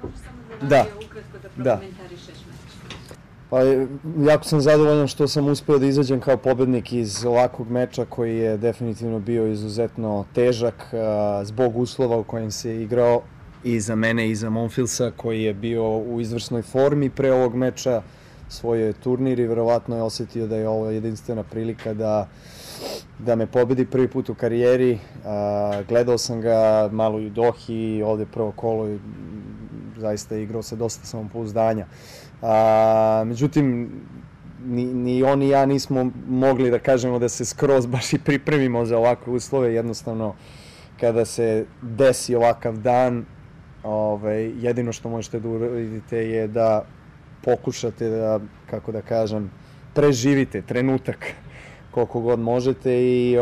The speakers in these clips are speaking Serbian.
možeš samo da ukratko da prokomentarišeš meč? Pa jako sam zadovoljan što sam uspeo da izađem kao pobednik iz ovakvog meča koji je definitivno bio izuzetno težak zbog uslova u kojem se igrao i za mene i za Monfilsa koji je bio u izvrsnoj formi pre ovog meča, svoj turnir i verovatno je osetio da je ovo jedinstvena prilika da me pobedi prvi put u karijeri. Gledao sam ga malo i u Dohi, ovde prvo kolo i zaista je igrao sa dosta samopouzdanja. Međutim, ni on ni ja nismo mogli da kažemo da se skroz baš i pripremimo za ovakve uslove. Jednostavno, kada se desi ovakav dan, jedino što možete da uradite je da pokušate da, kako da kažem, preživite trenutak koliko god možete i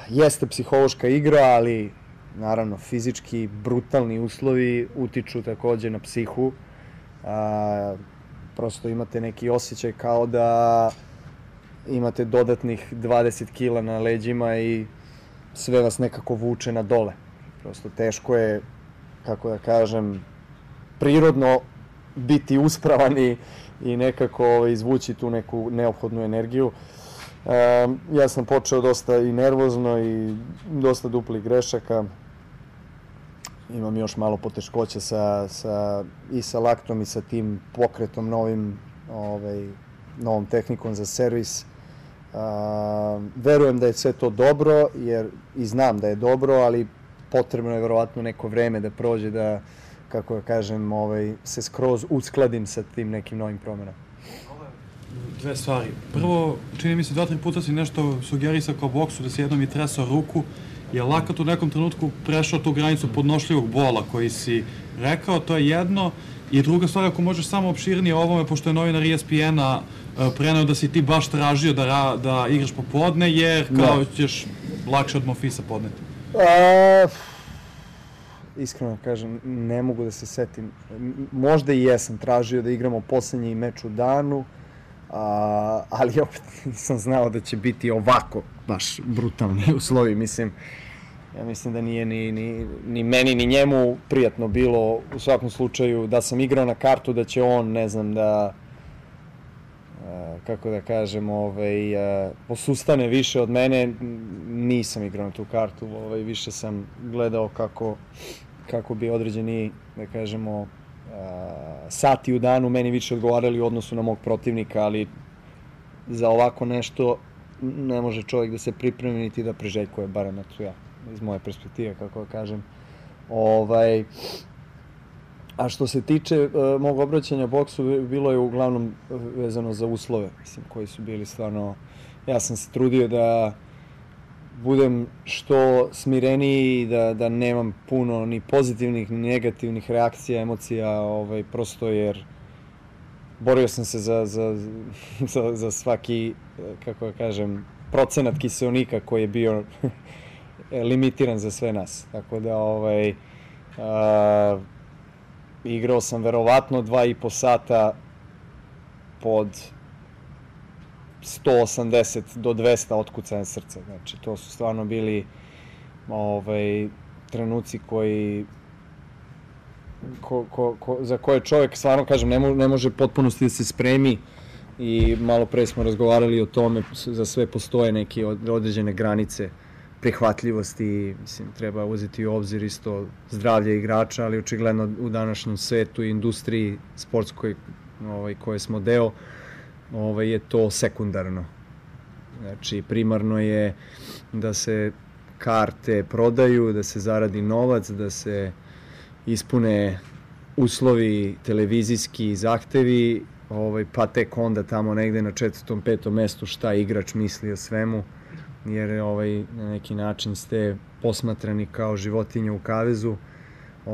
jeste psihološka igra, ali naravno fizički brutalni uslovi utiču takođe na psihu. Prosto imate neki osjećaj kao da imate dodatnih 20 kila na leđima i sve vas nekako vuče na dole. Prosto teško je, kako da kažem, prirodno biti uspravan i nekako izvući tu neku neophodnu energiju. Ja sam počeo dosta i nervozno i dosta duplih grešaka. Imam još malo poteškoća i sa laktom i sa tim pokretom novom tehnikom za servis. Verujem da je sve to dobro i znam da je dobro, ali potrebno je verovatno neko vreme da prođe da, kako da kažem, se skroz uskladim sa tim nekim novim promenama. Dve stvari. Prvo, čini mi se 2-3 puta si nešto sugerisao kao boksu, da si jednom i tresao ruku. Je lakat u nekom trenutku prešao tu granicu podnošljivog bola koji si rekao, to je jedno. I druga stvar, ako možeš samo opširnije o ovome, pošto je novinar ESPN-a preneo da si ti baš tražio da igraš popodne, jer kao ćeš lakše od Monfilsa podneti. Iskreno kažem, ne mogu da se setim. Možda i jesam tražio da igramo poslednji meč u danu, ali opet nisam znao da će biti ovako baš brutalni uslovi. Ja mislim da nije ni meni ni njemu prijatno bilo u svakom slučaju da sam igrao na kartu da će on, ne znam, da kako da kažem, posustane više od mene. Nisam igrao na tu kartu, više sam gledao kako bi određeni, da kažemo, sati u danu meni više odgovarali u odnosu na mog protivnika, ali za ovako nešto ne može čovjek da se pripremi niti da priželjkuje, barem ja, iz moje perspektive, kako da kažem. A što se tiče mog obraćanja boksu, bilo je uglavnom vezano za uslove, koji su bili stvarno... Ja sam se trudio da budem što smireniji, da nemam puno ni pozitivnih, ni negativnih reakcija, emocija, prosto jer borio sam se za svaki, kako da kažem, procenat kiseonika koji je bio limitiran za sve nas. Tako da, igrao sam verovatno 2,5 sata pod 180 do 200 otkucanja srca. Znači, to su stvarno bili trenuci za koje čovjek, stvarno kažem, ne može potpunosti da se spremi i malo pre smo razgovarali o tome, za sve postoje neke određene granice prihvatljivosti, treba uzeti u obzir isto zdravlje igrača, ali očigledno u današnjem svetu i industriji sportskoj koje smo deo, je to sekundarno. Znači, primarno je da se karte prodaju, da se zaradi novac, da se ispune uslovi televizijski zahtevi, pa tek onda tamo negde na 4., 5. mestu šta igrač misli o svemu, jer na neki način ste posmatrani kao životinje u kavezu. U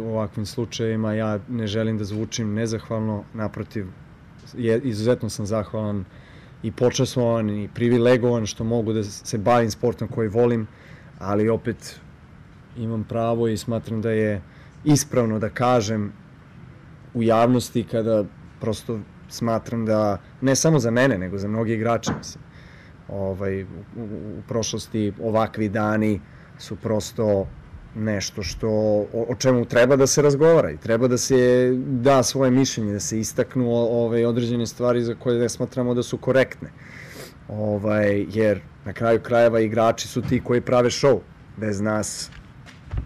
ovakvim slučajevima ja ne želim da zvučim nezahvalno, naprotiv, izuzetno sam zahvalan i počastvovan i privilegovan što mogu da se bavim sportom koji volim, ali opet imam pravo i smatram da je ispravno da kažem u javnosti kada prosto smatram da, ne samo za mene, nego za mnogi igrače, u prošlosti ovakvi dani su prosto nešto o čemu treba da se razgovara i treba da se da svoje mišljenje, da se istaknu određene stvari za koje ne smatramo da su korektne. Jer na kraju krajeva igrači su ti koji prave show. Bez nas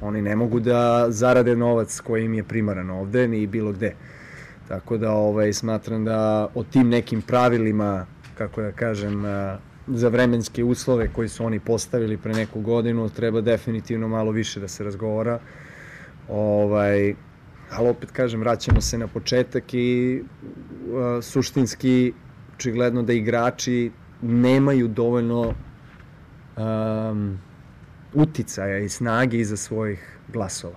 oni ne mogu da zarade novac koji im je primaran ovde ni bilo gde. Tako da smatram da o tim nekim pravilima, kako da kažem, za vremenske uslove koji su oni postavili pre neku godinu, treba definitivno malo više da se razgovara. Ali opet kažem, vraćamo se na početak i suštinski, očigledno da igrači nemaju dovoljno uticaja i snage iza svojih glasova.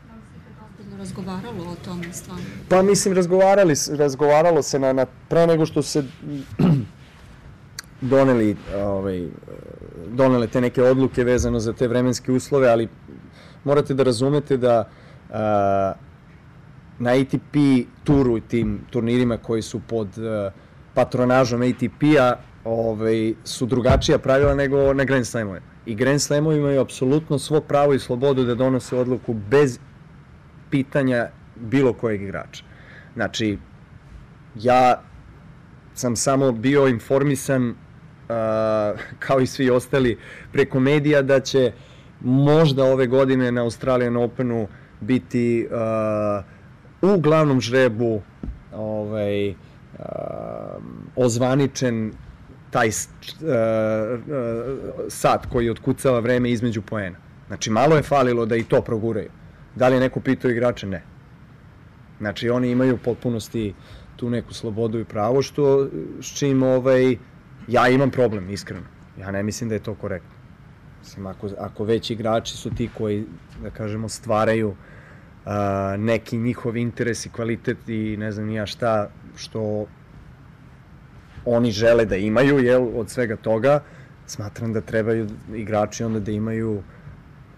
Da li se ikad ozbiljno razgovaralo o tome stvarno? Pa mislim, razgovaralo se pre nego što se donele te neke odluke vezano za te vremenske uslove, ali morate da razumete da na ATP turu i tim turnirima koji su pod patronažom ATP-a su drugačija pravila nego na Grand Slamovima. I Grand Slamovi imaju apsolutno svo pravo i slobodu da donose odluku bez pitanja bilo kojeg igrača. Znači, ja sam samo bio informisan, kao i svi ostali, preko medija da će možda ove godine na Australian Openu biti u glavnom žrebu ozvaničen taj sat koji otkucava vreme između poena. Znači, malo je falilo da i to proguraju. Da li je neko pitao igrače? Ne. Znači, oni imaju u potpunosti tu neku slobodu i pravo, s čim ja imam problem, iskreno. Ja ne mislim da je to korektno. Mislim, ako već igrači su ti koji, da kažemo, stvaraju neki njihov interes i kvalitet i ne znam ja šta, što oni žele da imaju, od svega toga, smatram da trebaju igrači onda da imaju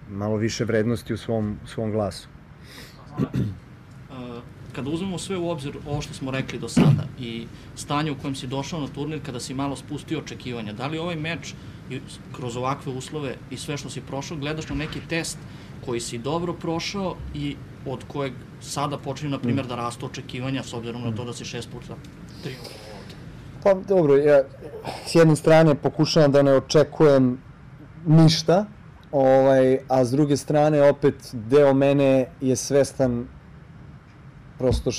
malo više vrednosti u svom glasu. Kada uzmemo sve u obzir ovo što smo rekli do sada i stanje u kojem si došao na turnir kada si malo spustio očekivanja, da li ovaj meč kroz ovakve uslove i sve što si prošao gledaš na neki test koji si dobro prošao i od kojeg sada počinju, na primjer, da rastu očekivanja s obzirom na to da si 6 puta triumfovao ovde? Pa dobro, ja s jedne strane pokušavam da ne očekujem ništa, a s druge strane opet deo mene je svestan prosto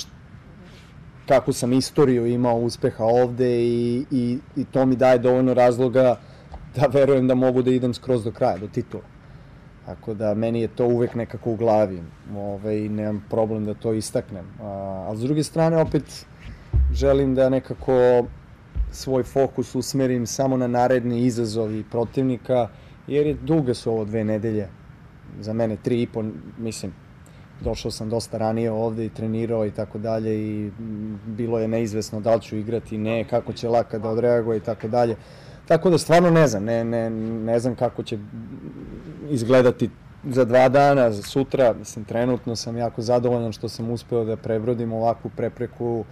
kakvu sam istoriju imao uspeha ovde i to mi daje dovoljno razloga da verujem da mogu da idem skroz do kraja, do titula. Tako da meni je to uvek nekako u glavi i nemam problem da to istaknem. A s druge strane opet želim da nekako svoj fokus usmerim samo na naredni izazovi protivnika, jer duge su ovo 2 nedelje, za mene 3,5, mislim, došao sam dosta ranije ovde i trenirao i tako dalje i bilo je neizvesno da li ću igrati, ne, kako će Laka da odreaguje i tako dalje. Tako da stvarno ne znam, ne znam kako će izgledati za 2 dana, za sutra. Mislim, trenutno sam jako zadovoljan što sam uspeo da prebrodim ovakvu prepreku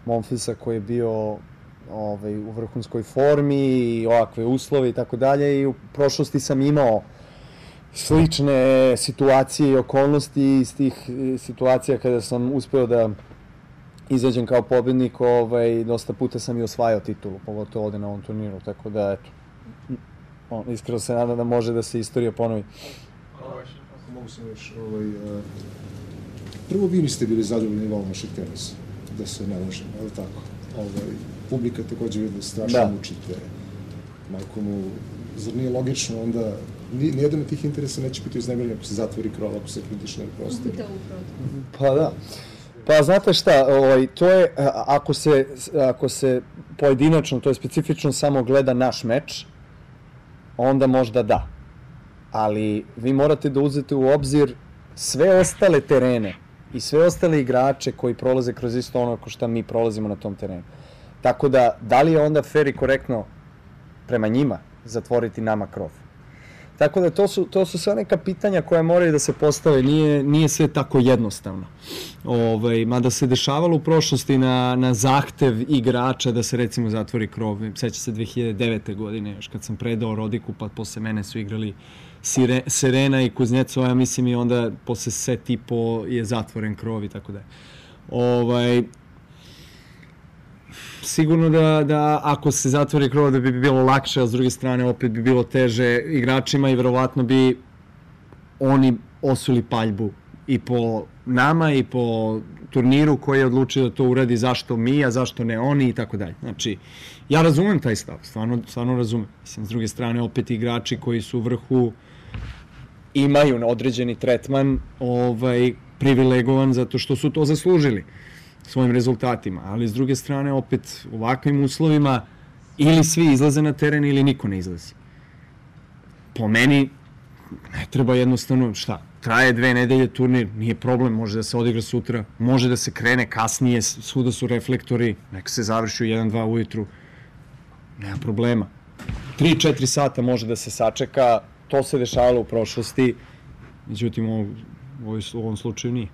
Monfilsa koji je bio u vrhunskoj formi i ovakve uslove i tako dalje i u prošlosti sam imao slične situacije i okolnosti iz tih situacija kada sam uspeo da izađem kao pobednik, dosta puta sam i osvajao titulu, pogotovo ovde na ovom turniru, tako da, eto, iskreno se nadam da može da se istorija ponovi. Ako mogu sam još, prvo vi niste bili zadovoljni nivom vašeg tenisa, da se ne lažem, ali tako. Publika takođe vidio strašno mučite, majko mu, zar nije logično onda, nijedan od tih interesa neće biti uznemiren ako se zatvori krov, ako se kritično ne prosti. Pa da. Pa znate šta, to je, ako se pojedinačno, to je specifično samo gleda naš meč, onda možda da. Ali vi morate da uzete u obzir sve ostale terene i sve ostale igrače koji prolaze kroz isto ono ko šta mi prolazimo na tom terenu. Tako da li je onda fair i korektno prema njima zatvoriti nama krov? Tako da to su sve neka pitanja koja moraju da se postave, nije sve tako jednostavno. Mada se dešavalo u prošlosti na zahtev igrača da se recimo zatvori krov. Seća se 2009. godine, još kad sam predao Rodiku, pa posle mene su igrali Serena i Kuznecova, ja mislim i onda posle set i po je zatvoren krov i tako dalje. Sigurno da ako se zatvori krov da bi bilo lakše, a s druge strane opet bi bilo teže igračima i verovatno bi oni osuli paljbu i po nama i po turniru koji je odlučio da to uradi, zašto mi, a zašto ne oni i tako dalje. Znači, ja razumem taj stav, stvarno razumem. Mislim, s druge strane, opet igrači koji su u vrhu imaju određeni tretman privilegovan zato što su to zaslužili svojim rezultatima, ali s druge strane, opet u ovakvim uslovima ili svi izlaze na teren ili niko ne izlazi. Po meni, ne treba jednostavno, traje 2 nedelje turnir, nije problem, može da se odigra sutra, može da se krene kasnije, svuda su reflektori, neka se završi u 1-2 ujutru, nema problema. 3-4 sata može da se sačeka, to se dešavalo u prošlosti, međutim u ovom slučaju nije.